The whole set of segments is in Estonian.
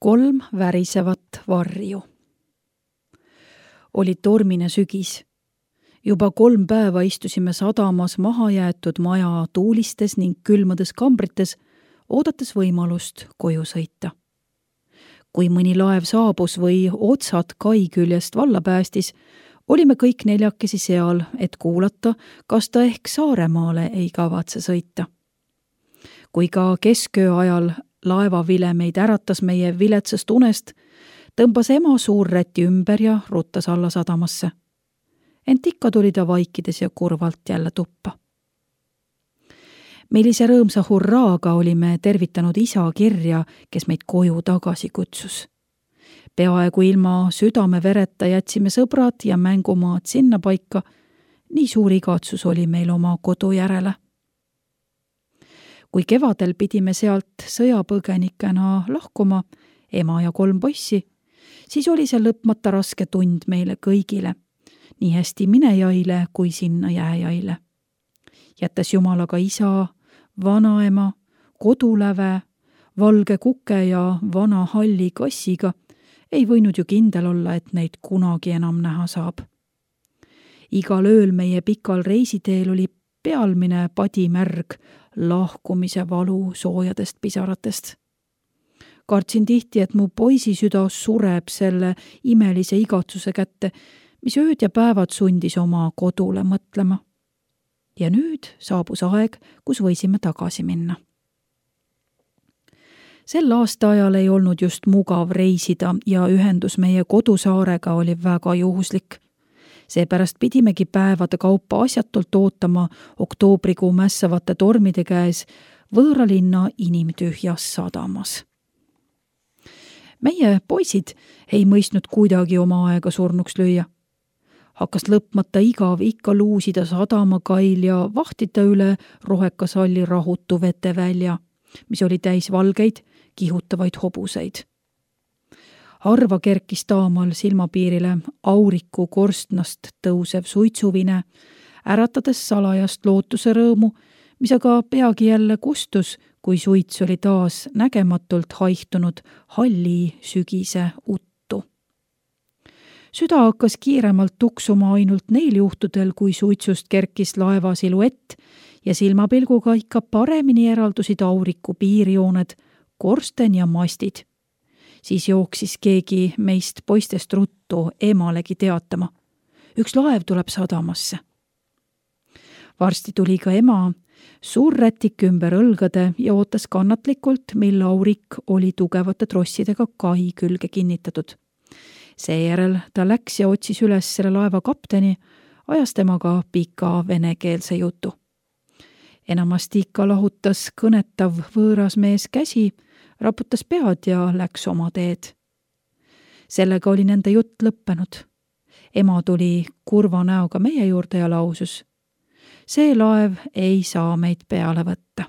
3 värisevat varju. Oli tormine sügis. Juba 3 päeva istusime sadamas mahajäetud maja tuulistes ning külmades kambrites, oodates võimalust koju sõita. Kui mõni laev saabus või otsad kai küljest valla päästis, olime kõik 4 seal, et kuulata, kas ta ehk Saaremaale ei kavatse sõita. Kui ka kesköö ajal laevavile meid äratas meie viletsast unest, tõmbas ema suurräti ümber ja ruttas alla sadamasse. Ent ikka tuli ta vaikides ja kurvalt jälle tuppa. Millise rõõmsa hurraaga olime tervitanud isa kirja, kes meid koju tagasi kutsus. Peaaegu ilma südamevereta jätsime sõbrad ja mängumaad sinna paika, nii suur igatsus oli meil oma kodu järele. Kui kevadel pidime sealt sõjapõgenikena lahkuma, ema ja 3 poissi, siis oli see lõpmata raske tund meile kõigile, nii hästi minejaile kui sinna jääjaile. Jättes Jumalaga isa, vanaema, koduläve, valge kuke ja vana halli kassiga, ei võinud ju kindel olla, et neid kunagi enam näha saab. Igal ööl meie pikal reisiteel oli pealmine padimärg lahkumise valu soojadest pisaratest. Kartsin tihti, et mu poisi süda sureb selle imelise igatsuse kätte, mis ööd ja päevad sundis oma kodule mõtlema. Ja nüüd saabus aeg, kus võisime tagasi minna. Sel aastaajal ei olnud just mugav reisida ja ühendus meie kodusaarega oli väga juhuslik. Seepärast pidimegi päevade kaupa asjatult ootama oktoobrikuu mässavate tormide käes võõra linna inimtühjas sadamas. Meie poisid ei mõistnud kuidagi oma aega surnuks lüüa. Hakkas lõpmata igav ikka luusida sadamakail ja vahtida üle rohekasalli rahutu vetevälja, mis oli täis valgeid, kihutavaid hobuseid. Harva kerkis taamal silmapiirile auriku korstnast tõusev suitsuvine, äratades salajast lootuse rõõmu, mis aga peagi jälle kustus, kui suits oli taas nägematult haihtunud halli sügise uttu. Süda hakkas kiiremalt tuksuma ainult neil juhtudel, kui suitsust kerkis laeva siluett ja silmapilguga ikka paremini eraldusid auriku piirjooned, korsten ja mastid. Siis jooksis keegi meist poistest ruttu emalegi teatama. Üks laev tuleb sadamasse. Varsti tuli ka ema, suur rätik ümber õlgade ja ootas kannatlikult, mil aurik oli tugevate trossidega kai külge kinnitatud. Seejärel ta läks ja otsis üles selle laeva kapteni, ajas temaga pika venekeelse jutu. Enamasti ikka lahutas kõnetav võõras mees käsi, raputas pead ja läks oma teed. Sellega oli nende jutt lõppenud. Ema tuli kurva näoga meie juurde ja lausus: see laev ei saa meid peale võtta.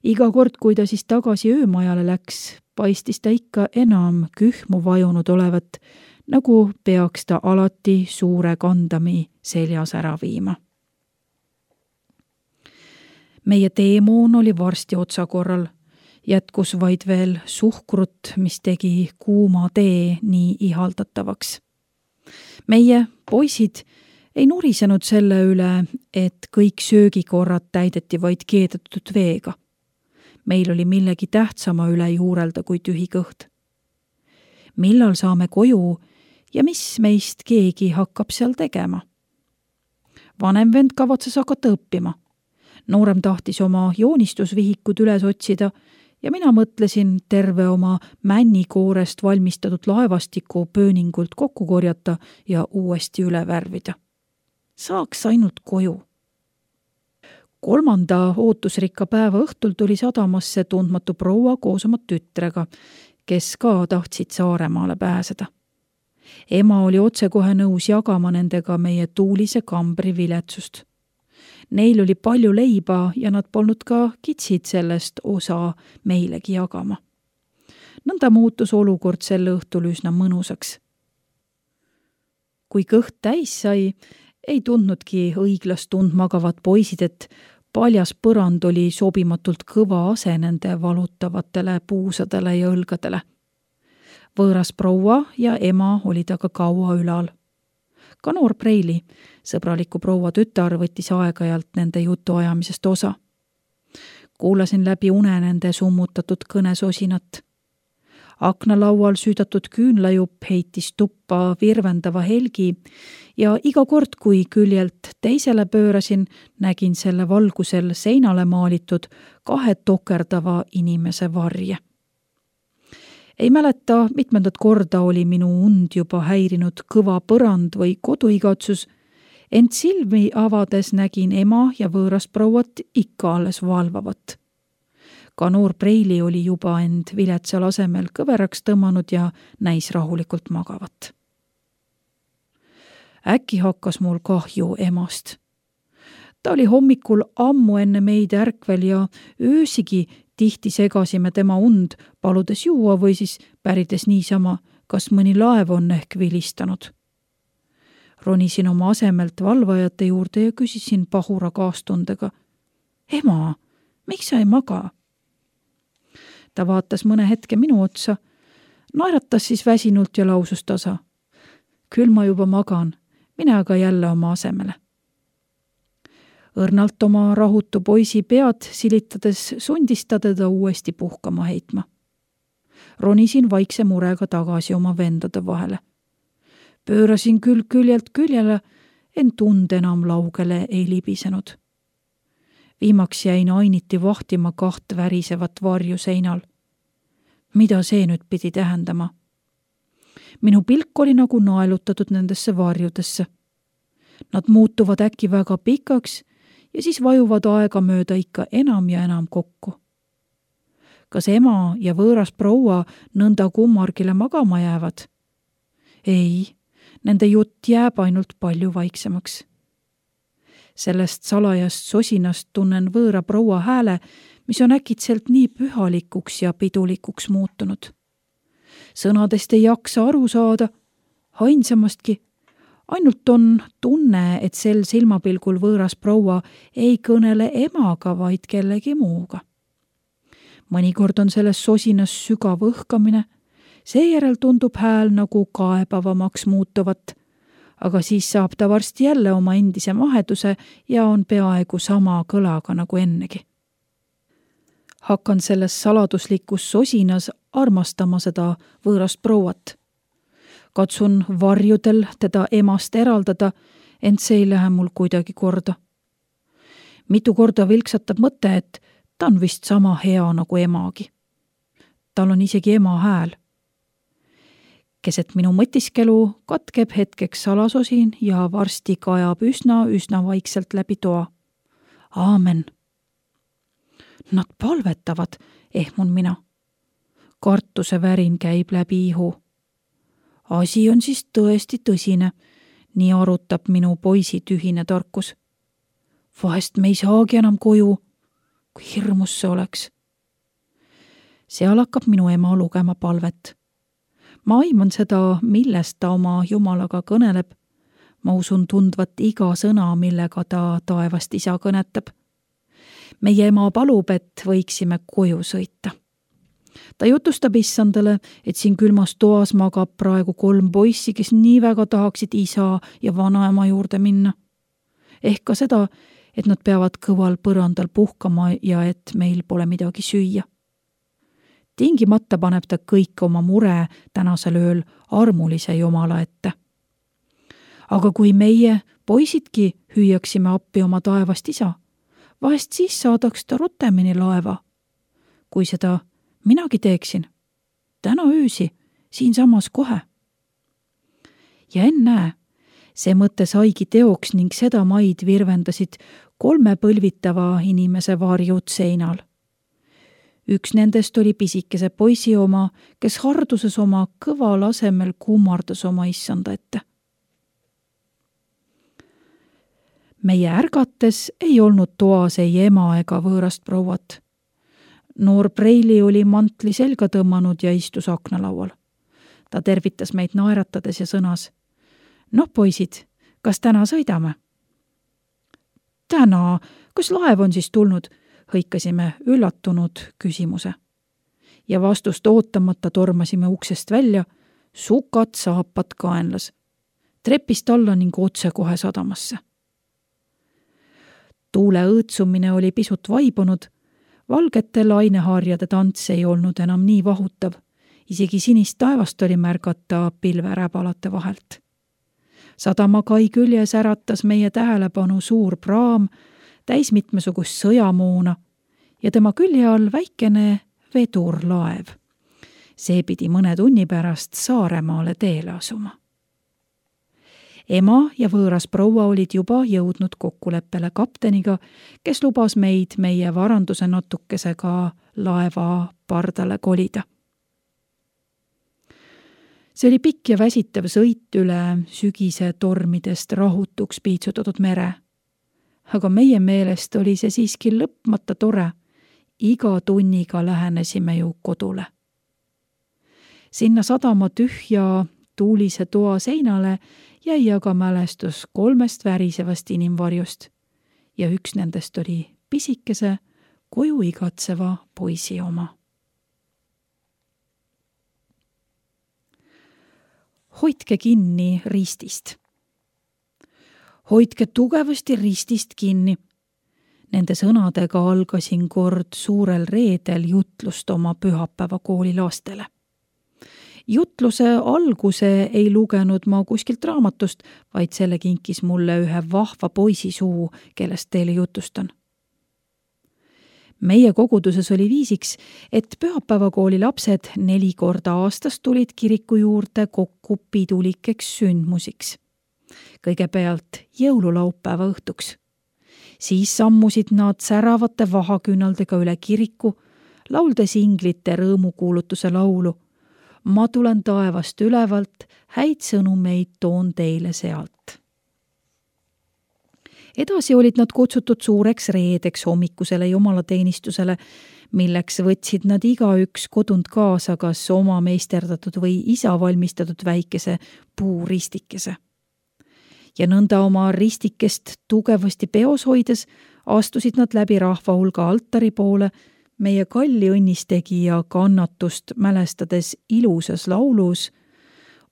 Iga kord, kui ta siis tagasi öömajale läks, paistis ta ikka enam kühmu vajunud olevat, nagu peaks ta alati suure kandami seljas ära viima. Meie teemoon oli varsti otsakorral. Jätkus vaid veel suhkrut, mis tegi kuuma tee nii ihaldatavaks. Meie poisid ei nurisenud selle üle, et kõik söögikorrad täideti vaid keedetud veega. Meil oli millegi tähtsama üle juurelda kui tühi kõht. Millal saame koju ja mis meist keegi hakkab seal tegema? Vanem vend kavatses hakata õppima. Noorem tahtis oma joonistusvihikud üles otsida ja mina mõtlesin terve oma männikoorest valmistatud laevastiku pööningult kokku korjata ja uuesti üle värvida. Saaks ainult koju. 3. ootusrikka päeva õhtul tuli sadamasse tundmatu proua koos oma tütrega, kes ka tahtsid Saaremaale pääseda. Ema oli otsekohe nõus jagama nendega meie tuulise kambri viletsust. Neil oli palju leiba ja nad polnud ka kitsid sellest osa meilegi jagama. Nõnda muutus olukord sel õhtul üsna mõnusaks. Kui kõht täis sai, ei tundnudki õiglast tund magavad poisid, et paljas põrand oli sobimatult kõva ase nende valutavatele puusadele ja õlgadele. Võõras proua ja ema olid aga kaua ülal. Ka noor Preili, sõbraliku proua tütar, võttis aeg-ajalt nende jutuajamisest osa. Kuulasin läbi une nende summutatud kõnesosinat. Aknalaual süüdatud küünlajupp heitis tuppa virvendava helgi ja iga kord, kui küljelt teisele pöörasin, nägin selle valgusel seinale maalitud 2 tokerdava inimese varje. Ei mäleta, mitmendat korda oli minu und juba häirinud kõva põrand või koduigatsus, ent silmi avades nägin ema ja võõrast prouat ikka alles valvavat. Ka noor Preili oli juba end viletsal asemel kõveraks tõmmanud ja näis rahulikult magavat. Äkki hakkas mul kahju emast. Ta oli hommikul ammu enne meid ärkvel ja öösigi tihti segasime tema und, paludes juua või siis pärides niisama, kas mõni laev on ehk vilistanud. Ronisin oma asemelt valvajate juurde ja küsisin pahura kaastundega: "Ema, miks sa ei maga?" Ta vaatas mõne hetke minu otsa, naeratas siis väsinult ja lausus tasa: "Küll ma juba magan, mine aga jälle oma asemele." Õrnalt oma rahutu poisi pead silitades sundis ta teda uuesti puhkama heitma. Ronisin vaikse murega tagasi oma vendade vahele. Pöörasin küll küljelt küljele, ent tund enam laugele ei libisenud. Viimaks jäin ainiti vahtima 2 värisevat varju seinal. Mida see nüüd pidi tähendama? Minu pilk oli nagu naelutatud nendesse varjudesse. Nad muutuvad äkki väga pikaks ja siis vajuvad aega mööda ikka enam ja enam kokku. Kas ema ja võõras proua nõnda kummargile magama jäävad? Ei, nende jutt jääb ainult palju vaiksemaks. Sellest salajast sosinast tunnen võõra proua hääle, mis on äkitselt nii pühalikuks ja pidulikuks muutunud. Sõnadest ei jaksa aru saada, ainsamastki. Ainult on tunne, et sel silmapilgul võõras proua ei kõnele emaga, vaid kellegi muuga. Mõnikord on selles sosinas sügav õhkamine, seejärel tundub hääl nagu kaebavamaks muutuvat, aga siis saab ta varsti jälle oma endise maheduse ja on peaaegu sama kõlaga nagu ennegi. Hakkan selles saladuslikus sosinas armastama seda võõrast prouat. Katsun varjudel teda emast eraldada, ent see ei lähe mul kuidagi korda. Mitu korda vilksatab mõte, et ta on vist sama hea nagu emagi. Tal on isegi ema hääl. Keset minu mõtiskelu katkeb hetkeks salasosin ja varsti kajab üsna vaikselt läbi toa. Aamen. Nad palvetavad, ehmun mina. Kartuse värin käib läbi ihu. Asi on siis tõesti tõsine, nii arutab minu poisi tühine tarkus. Vahest me ei saagi enam koju, kui hirmus see oleks. Seal hakkab minu ema lugema palvet. Ma aiman seda, millest ta oma Jumalaga kõneleb. Ma usun tundvat iga sõna, millega ta taevast isa kõnetab. Meie ema palub, et võiksime koju sõita. Ta jutustab issandale, et siin külmas toas magab praegu 3 poissi, kes nii väga tahaksid isa ja vanaema juurde minna. Ehk ka seda, et nad peavad kõval põrandal puhkama ja et meil pole midagi süüa. Tingimata paneb ta kõik oma mure tänasel ööl armulise Jumala ette. Aga kui meie, poisidki, hüüaksime appi oma taevast isa, vahest siis saadaks ta rutemini laeva. Kui seda minagi teeksin, täna öösi, siinsamas kohe. Ja ennäe, see mõte saigi teoks ning seda maid virvendasid 3 põlvitava inimese varjud seinal. Üks nendest oli pisikese poisi oma, kes harduses oma kõval asemel kummardas oma issanda ette. Meie ärgates ei olnud toas ei ema ega võõrast prouat. Noor Preili oli mantli selga tõmmanud ja istus aknalaual. Ta tervitas meid naeratades ja sõnas: "Noh, poisid, kas täna sõidame?" täna, kas laev on siis tulnud? Hõikasime üllatunud küsimuse. Ja vastust ootamata tormasime uksest välja, sukad saapad kaenlas, trepist alla ning otsekohe sadamasse. Tuule õõtsumine oli pisut vaibunud, valgete laineharjade tants ei olnud enam nii vahutav, isegi sinist taevast oli märgata pilveräbalate vahelt. Sadamakai küljes äratas meie tähelepanu suur praam, täis mitmesugust sõjamoona ja tema külje all väikene vedurlaev. See pidi mõne tunni pärast Saaremaale teele asuma. Ema ja võõras proua olid juba jõudnud kokkuleppele kapteniga, kes lubas meid meie varanduse natukesega laeva pardale kolida. See oli pikk ja väsitav sõit üle sügise tormidest rahutuks piitsutatud mere. Aga meie meelest oli see siiski lõpmata tore. Iga tunniga lähenesime ju kodule. Sinna sadama tühja tuulise toa seinale jäi aga mälestus 3 värisevast inimvarjust ja üks nendest oli pisikese, koju igatseva poisi oma. Hoidke kinni ristist. Hoidke tugevasti ristist kinni. Nende sõnadega algasin kord suurel reedel jutlust oma pühapäevakooli lastele. Jutluse alguse ei lugenud ma kuskilt raamatust, vaid selle kinkis mulle ühe vahva poisi suu, kellest teile jutustan. Meie koguduses oli viisiks, et pühapäevakooli lapsed 4 korda aastas tulid kiriku juurde kokku pidulikeks sündmusiks. Kõigepealt jõululaupäeva õhtuks. Siis sammusid nad säravate vahaküünaldega üle kiriku, lauldes inglite rõõmukuulutuse laulu. Ma tulen taevast ülevalt, häid sõnumeid toon teile sealt. Edasi olid nad kutsutud suureks reedeks hommikusele jumalateenistusele, milleks võtsid nad igaüks kodunt kaasa kas oma meisterdatud või isa valmistatud väikese puuristikese. Ja nõnda oma ristikest tugevasti peos hoides astusid nad läbi rahva hulga altari poole, meie kalli õnnistegija kannatust mälestades ilusas laulus: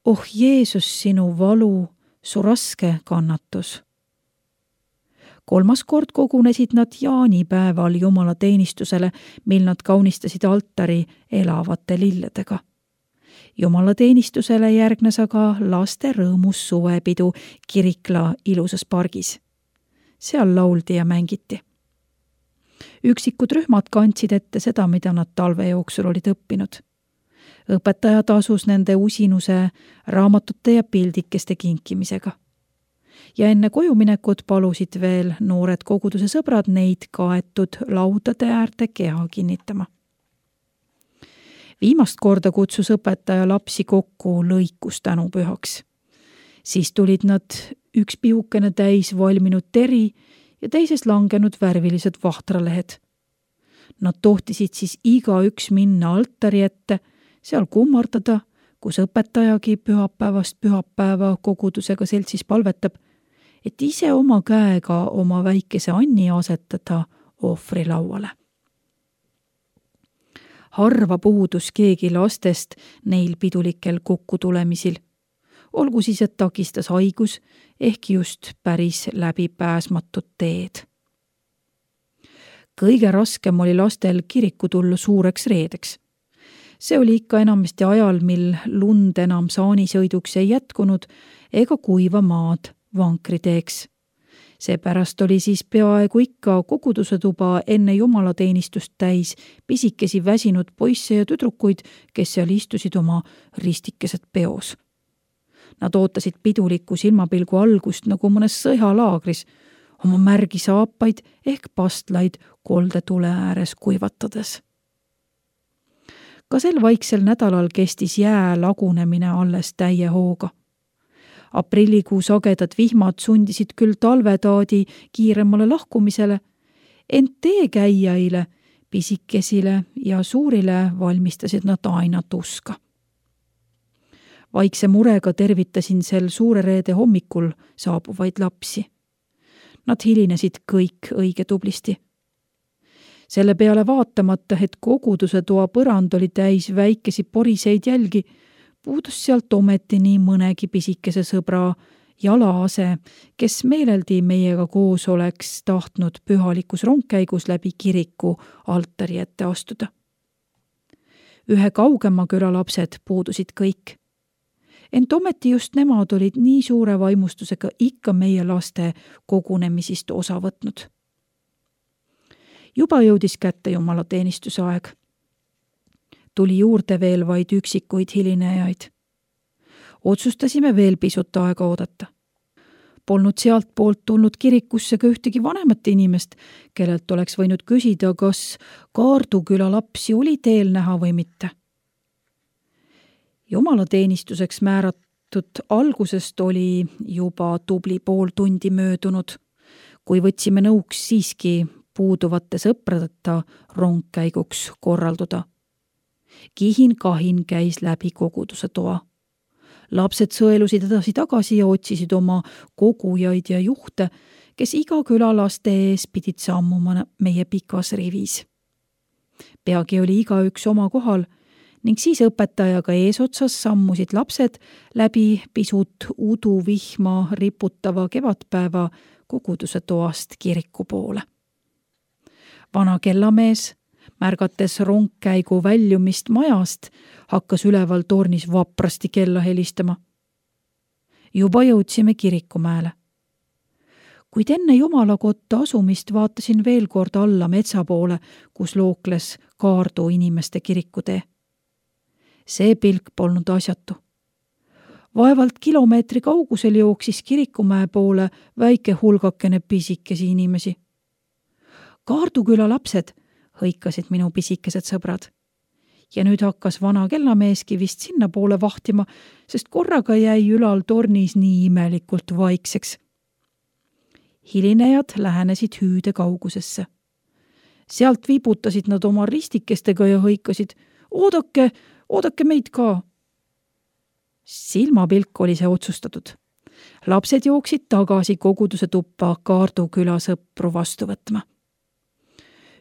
Oh Jeesus, sinu valu, su raske kannatus. 3. kord kogunesid nad jaanipäeval jumalateenistusele, mil nad kaunistasid altari elavate lilledega. Jumalateenistusele järgnes aga laste rõõmus suvepidu Kirikla ilusas pargis. Seal lauldi ja mängiti. Üksikud rühmad kandsid ette seda, mida nad talve jooksul olid õppinud. Õpetaja tasus nende usinuse raamatute ja pildikeste kinkimisega. Ja enne kojuminekut palusid veel noored koguduse sõbrad neid kaetud laudade äärde keha kinnitama. Viimast korda kutsus õpetaja lapsi kokku lõikus tänupühaks. Siis tulid nad üks pihukene täis valminud teri ja teises langenud värvilised vahtralehed. Nad tohtisid siis igaüks minna altari ette, seal kummardada, kus õpetajagi pühapäevast pühapäeva kogudusega seltsis palvetab, et ise oma käega oma väikese Anni asetada ohvrilauale. Harva puudus keegi lastest neil pidulikel kokkutulemisil. Olgu siis, et takistas haigus ehk just päris läbipääsmatud teed. Kõige raskem oli lastel kiriku tulla suureks reedeks. See oli ikka enamasti ajal, mil lund enam saanisõiduks ei jätkunud ega kuiva maad vankriteeks. Seepärast oli siis peaaegu ikka koguduse tuba enne jumalateenistust täis pisikesi väsinud poisse ja tüdrukuid, kes seal istusid oma ristikesed peos. Nad ootasid piduliku silmapilgu algust nagu mõnes sõjalaagris, oma märgi saapaid ehk pastlaid koldetule ääres kuivatades. Ka sel vaiksel nädalal kestis jää lagunemine alles täie hooga. Aprillikuu sagedad vihmad sundisid küll talvetaadi kiiremale lahkumisele, ent teekäijaile, pisikesile ja suurile valmistasid nad aina tuska. Vaikse murega tervitasin sel suure reede hommikul saabuvaid lapsi. Nad hilinesid kõik õige tublisti. Selle peale vaatamata, et koguduse toa põrand oli täis väikesi poriseid jälgi, puudus sealt ometi nii mõnegi pisikese sõbra jalaase, kes meeleldi meiega koos oleks tahtnud pühalikus rongkäigus läbi kiriku altari ette astuda. Ühe kaugema küla lapsed puudusid kõik. Ent ometi just nemad olid nii suure vaimustusega ikka meie laste kogunemisist osa võtnud. Juba jõudis kätte jumalateenistuse aeg. Tuli juurde veel vaid üksikuid hilinejaid. Otsustasime veel pisut aega oodata. Polnud sealt poolt tulnud kirikusse ka ühtegi vanemat inimest, kellelt oleks võinud küsida, kas Kaardu küla lapsi oli teel näha või mitte. Jumalateenistuseks määratud algusest oli juba tubli pool tundi möödunud, kui võtsime nõuks siiski puuduvate sõpradeta rongkäiguks korralduda. Kihin-kahin käis läbi koguduse toa. Lapsed sõelusid edasi-tagasi ja otsisid oma kogujaid ja juhte, kes iga küla laste ees pidid sammuma meie pikas rivis. Peagi oli igaüks oma kohal ning siis õpetajaga eesotsas sammusid lapsed läbi pisut uduvihma riputava kevadpäeva koguduse toast kiriku poole. Vana kellamees, märgates rongkäigu väljumist majast, hakkas üleval tornis vaprasti kella helistama. Juba jõudsime kirikumäele. Kuid enne jumalakotta asumist vaatasin veel kord alla metsa poole, kus lookles Kaardu inimeste kirikutee. See pilk polnud asjatu. Vaevalt kilomeetri kaugusel jooksis kirikumäe poole väike hulgakene pisikesi inimesi. Kaardu küla lapsed, hõikasid minu pisikesed sõbrad. Ja nüüd hakkas vana kellameeski vist sinna poole vahtima, sest korraga jäi ülal tornis nii imelikult vaikseks. Hilinejad lähenesid hüüde kaugusesse. Sealt vibutasid nad oma ristikestega ja hõikasid, oodake meid ka. Silmapilk oli see otsustatud. Lapsed jooksid tagasi koguduse tuppa Kaardu küla sõpru vastu võtma.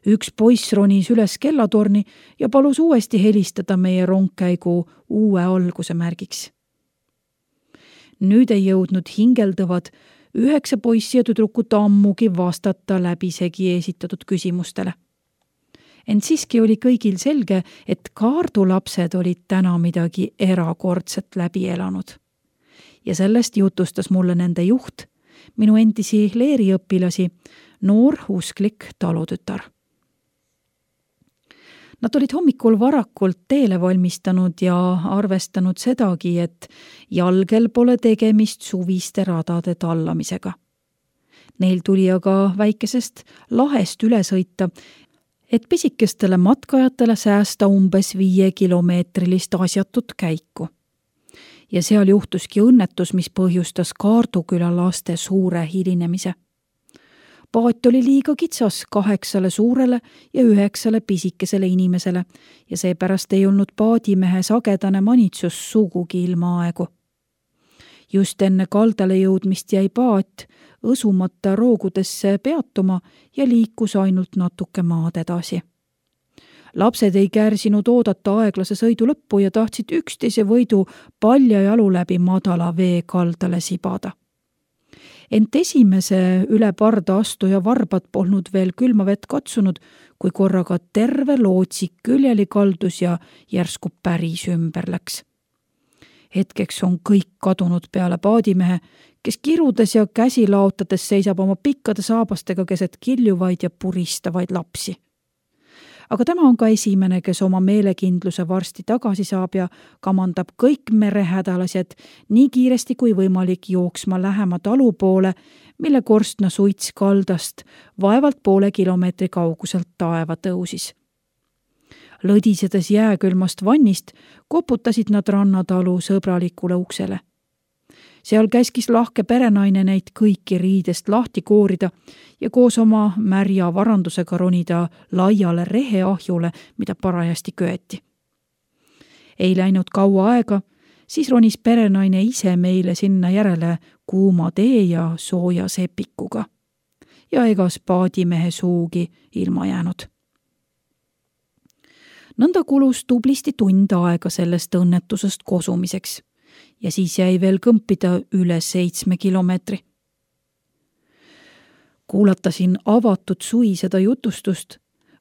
Üks poiss ronis üles kellatorni ja palus uuesti helistada meie rongkäigu uue alguse märgiks. Nüüd ei jõudnud hingeldavad 9 poissi ja tüdrukut ammugi vastata läbisegi esitatud küsimustele. Ent siiski oli kõigil selge, et Kaardu lapsed olid täna midagi erakordset läbi elanud. Ja sellest jutustas mulle nende juht, minu endisi leeriõpilasi, noor usklik talutütar. Nad olid hommikul varakult teele valmistanud ja arvestanud sedagi, et jalgel pole tegemist suviste radade tallamisega. Neil tuli aga väikesest lahest üle sõita, et pisikestele matkajatele säästa umbes 5-kilomeetrilist asjatut käiku. Ja seal juhtuski õnnetus, mis põhjustas Kaardu küla laste suure hilinemise. Paat oli liiga kitsas 8 suurele ja 9 pisikesele inimesele ja seepärast ei olnud paadimehe sagedane manitsus sugugi ilma aegu. Just enne kaldale jõudmist jäi paat õsumata roogudesse peatuma ja liikus ainult natuke maad edasi. Lapsed ei kärsinud oodata aeglase sõidu lõppu ja tahtsid üksteise võidu paljajalu läbi madala vee kaldale sibada. Ent esimese üle parda astuja varbad polnud veel külma vett katsunud, kui korraga terve lootsik küljeli kaldus ja järsku päris ümber läks. Hetkeks on kõik kadunud peale paadimehe, kes kirudes ja käsi laotades seisab oma pikkade saabastega keset kiljuvaid ja puristavaid lapsi. Aga tema on ka esimene, kes oma meelekindluse varsti tagasi saab ja kamandab kõik merehädalased nii kiiresti kui võimalik jooksma lähema talu poole, mille korstna suits kaldast vaevalt poole kilomeetri kauguselt taeva tõusis. Lõdisedes jääkülmast vannist koputasid nad rannatalu sõbralikule uksele. Seal käskis lahke perenaine neid kõiki riidest lahti koorida ja koos oma märja varandusega ronida laiale reheahjule, mida parajasti köeti. Ei läinud kaua aega, siis ronis perenaine ise meile sinna järele kuuma tee ja sooja sepikuga. ja ega spaadimehe suugi ilma jäänud. Nõnda kulus tublisti tund aega sellest õnnetusest kosumiseks ja siis jäi veel kõmpida üle 7 kilomeetri. Kuulatasin avatud sui seda jutustust,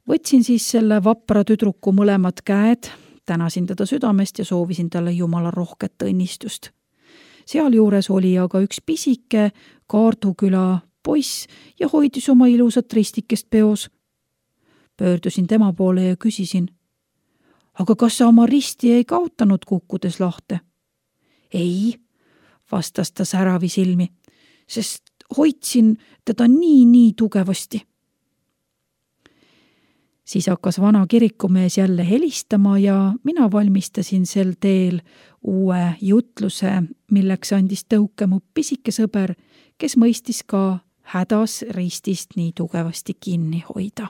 võtsin siis selle vapra tüdruku mõlemad käed, tänasin teda südamest ja soovisin talle jumala rohket õnnistust. Sealjuures oli aga üks pisike Kaarduküla poiss ja hoidis oma ilusat ristikest peos. Pöördusin tema poole ja küsisin, aga kas sa oma risti ei kaotanud kukkudes lahte? Ei, vastas ta säravi silmi, sest hoidsin teda nii tugevasti. Siis hakkas vana kirikumees jälle helistama ja mina valmistasin sel teel uue jutluse, milleks andis tõuke mu pisike sõber, kes mõistis ka hädas ristist nii tugevasti kinni hoida.